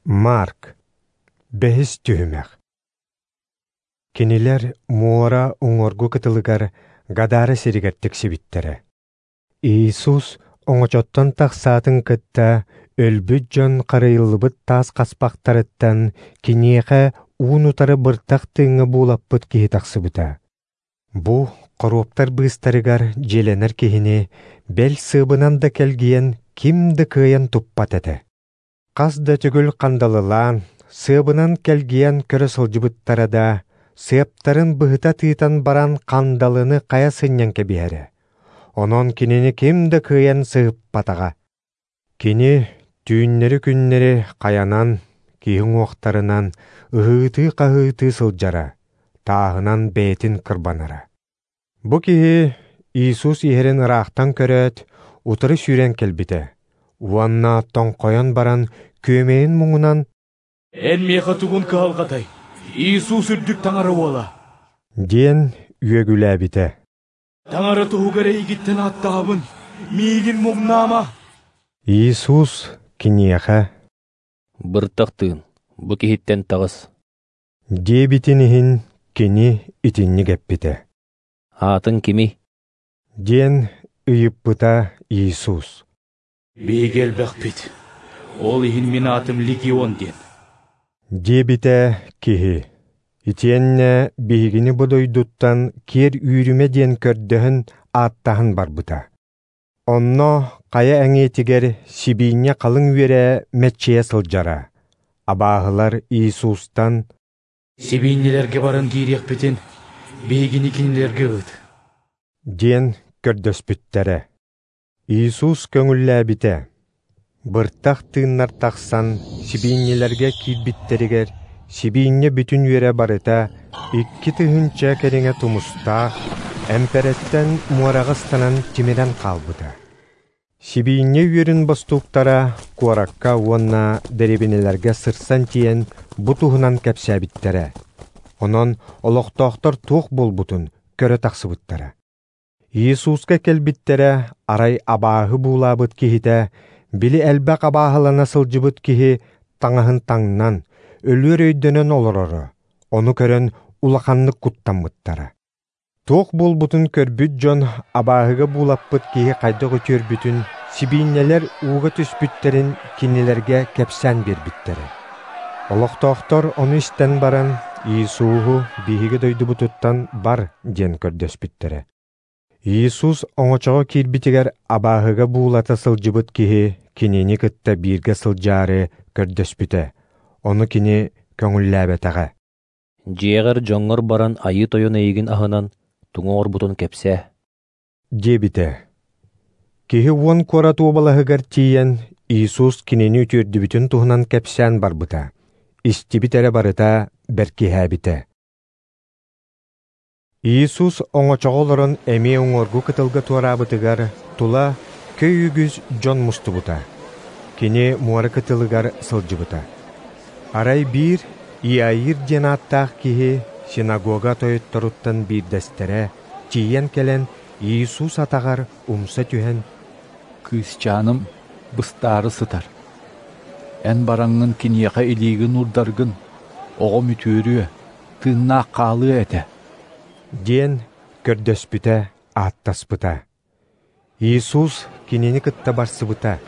Марк. Бэһис түһүмэх. Кинилэр муора уҥуоргу кытылыгар Гадара сиригэр тиксибиттэрэ. Иисус оҥочоттон тахсаатын кытта өлбүт дьон харыйыллыбыт таас хаспахтарыттан киниэхэ уун-утары быртах тыыҥҥа буулаппыт киһи тахсыбыта. Бу хоруоптар быыстарыгар дьиэлэнэр киһини бэл сыабынан да кэлгийэн ким да кыайан туппат этэ. Хас да төгүл хандалылаан, сыабынан кэлгийэн көрө сылдьыбыттара да, сыаптарын быһыта тыытан баран хандалыны хайа сынньан кэбиһэрэ. Онон кинини ким да кыайан сыһыппатаҕа. Кини түүннэри-күннэри хайанан, киһи уҥуохтарынан ыһыытыы-хаһыытыы сылдьара, тааһынан бэйэтин кырбанара. Бу киһи Иисус иһэрин ыраахтан көрөөт, утары сүүрэн кэлбитэ уонна тоҥхойон баран күөмэйин муҥунан «Эн миэхэ тугун кыһалҕатай, Иисус үрдүк Таҥара уола?» диэн үөгүлээбитэ. «Таҥара туһугар эйигиттэн ааттаһабын, миигин муҥнаама!» Иисус киниэхэ «Быртах тыын, бу киһиттэн таҕыс!» диэбитин иһин кини итинник эппитэ. «Аатыҥ кимий?» диэн ыйыппыта Иисус. «Биһиги элбэхпит, ол иһин мин аатым Легион диэн», диэбитэ киһи. Итиэннэ биһигини бу дойдуттан киэр үүрүмэ диэн көрдөһөн ааттаһан барбыта. Онно хайа эҥиэтигэр сибиинньэ халыҥ үөрэ мэччийэ сылдьара. Абааһылар Иисустан «Сибиинньэлэргэ баран киириэхпитин, биһигини кинилэргэ ыыт», диэн көрдөспүттэрэ. Иисус көҥүллээбитэ. Быртах тыыннар тахсан сибиинньэлэргэ киирбиттэригэр сибиинньэ бүтүн үөрэ барыта 2000 кэриҥэ тумустаах эмпэрэттэн муораҕа ыстанан тимирэн хаалбыта. Сибиинньэ үөрүн бостууктара куоракка уонна дэриэбинэлэргэ сырсан тиийэн бу туһунан кэпсээбиттэрэ. Онон олохтоохтор туох буолбутун көрө тахсыбыттара. Иисуска кэлбиттэрэ арай абааһы буулаабыт киһитэ, били элбэх абааһылана сылдьыбыт киһи таҥаһын таҥнан, өлүөр өйдөнөн олороро, ону көрөн улаханнык куттаммыттара. Туох буолбутун көрбүт дьон абааһыга буулаппыт киһи хайдах үтүөрбүтүн, сибиинньэлэр ууга түспүттэрин кинилэргэ кэпсээн биэрбиттэрэ. Олохтоохтор ону истэн баран, Иисуһу биһиги дойдубутуттан бар диэн көрдөспүттэрэ. Иисус оҥочоҕо киирбитигэр абааһыга буулата сылдьыбыт киһи кинини кытта бииргэ сылдьаары көрдөспүтэ, ону кини көҥүллээбэтэҕэ. «Дьиэҕэр дьоҥҥор баран Айыы Тойон эйигин аһынан, тугу оҥорбутун кэпсээ», диэбитэ. Киһи 10 куорат уобалаһыгар тиийэн Иисус кинини үтүөрдүбүтүн туһунан кэпсээн барбыта. Истибит эрэ барыта бэркиһээбитэ. Иисус оҥочоҕо олорон эмиэ уҥуоргу кытылга туораабытыгар тула көй үгүс дьон мустубута. Кини муора кытылыгар сылдьыбыта. Арай биир Иаир диэн ааттаах киһи синагога тойотторуттан биирдэстэрэ тиийэн кэлэн Иисус атаҕар умса түһэн «Кыысчааным быстаары сытар. Эн бараҥҥын киниэхэ илиигин уурдаргын, оҕом үтүөрүө, тыыннаах хаалыа этэ», диэн көрдөспүтэ, ааттаспыта. Иисус кинини кытта барсыбыта.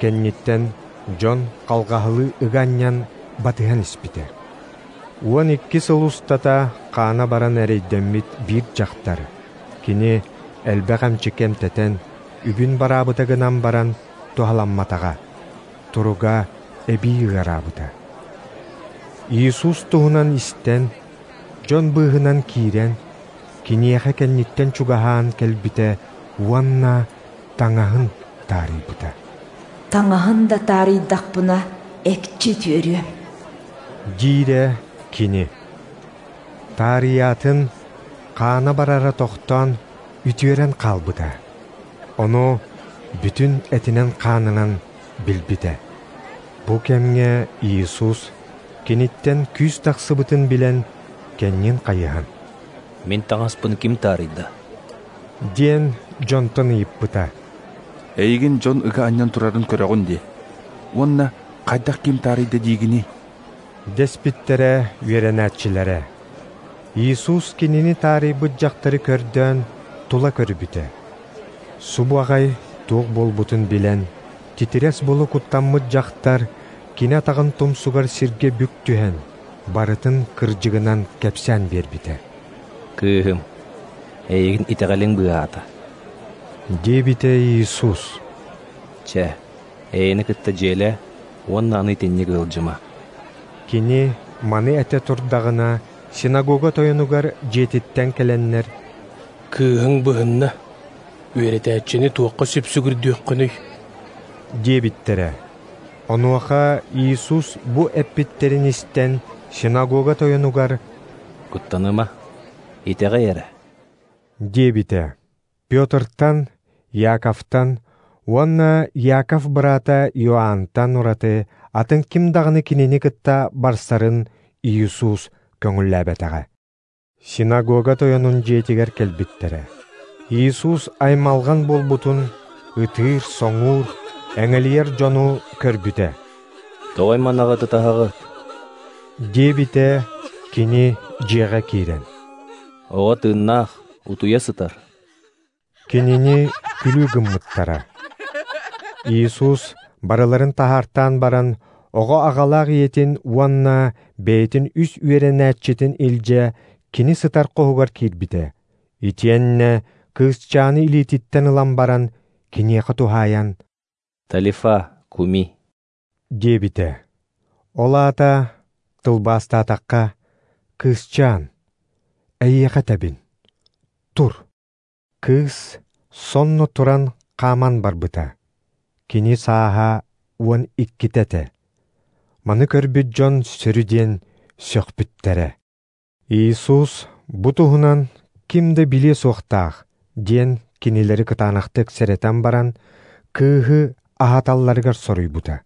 Кэнниттэн дьон халҕаһылыы ыга анньан батыһан испитэ. 12 сыл устата хаана баран эрэйдэммит биир дьахтар. Кини элбэх эмчиккэ эмтэтэн, үбүн бараабыта гынан баран туһаламматаҕа. Туруга эбии ыараабыта. Иисус туһунан истэн, дьон быыһынан киирэн, киниэхэ кэнниттэн чугаһаан кэлбитэ уонна таҥаһын таарыйбыта. «Таҥаһын да таарыйдахпына, экчи үтүөрүөм», диирэ кини. Таарыйаатын хаана барара тохтоон, үтүөрэн хаалбыта. Ону бүтүн этинэн-хаанынан билбитэ. Бу кэмҥэ Иисус киниттэн күүс тахсыбытын билэн, кэннин хайыһан «Мин таҥаспын ким таарыйда?» диэн дьонтон ыйыппыта. «Эйигин дьон ыга анньан турарын көрөҕүн дии, уонна Хайдах ким таарыйда диигиний? Дэспиттэрэ үөрэнээччилэрэ. Иисус кинини таарыйбыт дьахтары көрдөөн тула көрбүтэ. Субу аҕай туох буолбутун билэн, титирэс буола куттаммыт дьахтар кини атаҕын тумсугар сиргэ бүк түһэн, барытын кырдьыгынан кэпсээн биэрбитэ. Кыыһым, эйигин итэҕэлиҥ быыһаата. Диэбитэ Иисус. Чэ, эйэни кытта дьиэлээ уонна аны итинник ыалдьыма. Кини маны этэ турдаҕына, синагога тойонугар дьиэтиттэн кэлэннэр «Кыыһыҥ быһынна, үөрэтээччини туохха сүпсүгүрдүөххүнүй?» диэбиттэрэ. Онуоха Иисус бу эппиттэрин истэн, синагога тойонугар «Куттаныма, итэҕэй эрэ» диэбитэ. Петртан, Яковтан уонна Яков быраата Иоаннтан ураты атын ким даҕаны кинини кытта барсарын Иисус көҥүллээбэтэҕэ. Синагога тойонун дьиэтигэр кэлбиттэрэ. Иисус аймалҕан буолбутун, ытыыр-соҥуур, эҥэлийэр дьону көрбүтэ. «Тоҕо айманаҕыт ытаһаҕыт?» диэбитэ кини дьиэҕэ киирэн. «Оҕо тыыннаах, утуйа сытар». Кинини күлүү гыммыттара. Иисус барыларын таһаартаан баран, оҕо аҕалаах ийэтин уонна бэйэтин үс үөрэнээччитин илдьэ кини сытар хоһугар киирбитэ. Итиэннэ кыысчааны илиититтэн ылан баран, киниэхэ туһаайан «Талифа, куми» диэбитэ. Ол аата тылбаастаатахха, «Кыысчаан, эйиэхэ этэбин, тур». Кыыс сонно туран хааман барбыта. Кини сааһа 12 этэ. Маны көрбүт дьон сөрү диэн сөхпүттэрэ. Иисус бу туһунан ким да билиэ суохтаах диэн кинилэри кытаанахтык сэрэтэн баран, кыыһы аһаталларыгар соруйбута.